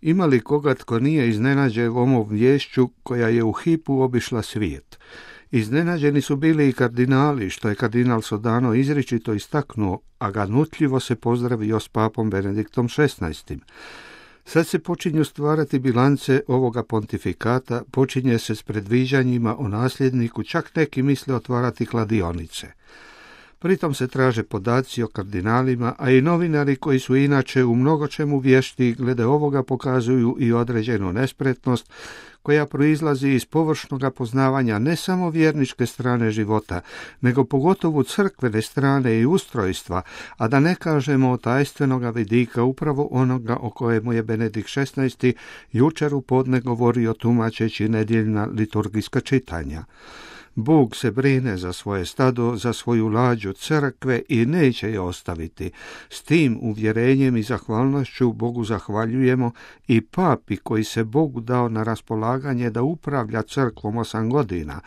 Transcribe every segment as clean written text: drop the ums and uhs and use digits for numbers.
Ima li koga tko nije iznenađen ovom viješću koja je u hipu obišla svijet? Iznenađeni su bili i kardinali, što je kardinal Sodano izričito istaknuo, a ganutljivo se pozdravio s papom Benediktom XVI. Sad se počinju stvarati bilance ovoga pontifikata, počinje se s predviđanjima o nasljedniku, čak neki misle otvarati kladionice. Pritom se traže podaci o kardinalima, a i novinari koji su inače u mnogočemu vješti glede ovoga pokazuju i određenu nespretnost koja proizlazi iz površnog poznavanja ne samo vjerničke strane života, nego pogotovo crkvene strane i ustrojstva, a da ne kažemo o tajstvenoga vidika upravo onoga o kojemu je Benedikt XVI jučer u podne govorio tumačeći nedjeljna liturgijska čitanja. Bog se brine za svoje stado, za svoju lađu crkve i neće je ostaviti. S tim uvjerenjem i zahvalnošću Bogu zahvaljujemo i papi koji se Bogu dao na raspolaganje da upravlja crkvom 8 godina.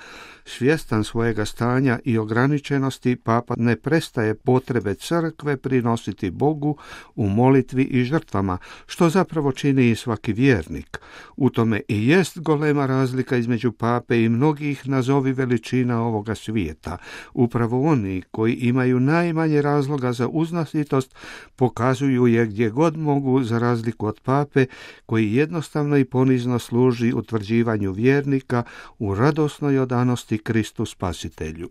Svjestan svojega stanja i ograničenosti, papa ne prestaje potrebe crkve prinositi Bogu u molitvi i žrtvama, što zapravo čini i svaki vjernik. U tome i jest golema razlika između pape i mnogih nazovi veličina ovoga svijeta. Upravo oni koji imaju najmanje razloga za uznositost pokazuju je gdje god mogu, za razliku od pape koji jednostavno i ponizno služi utvrđivanju vjernika u radosnoj odanosti Kristu Spasitelju.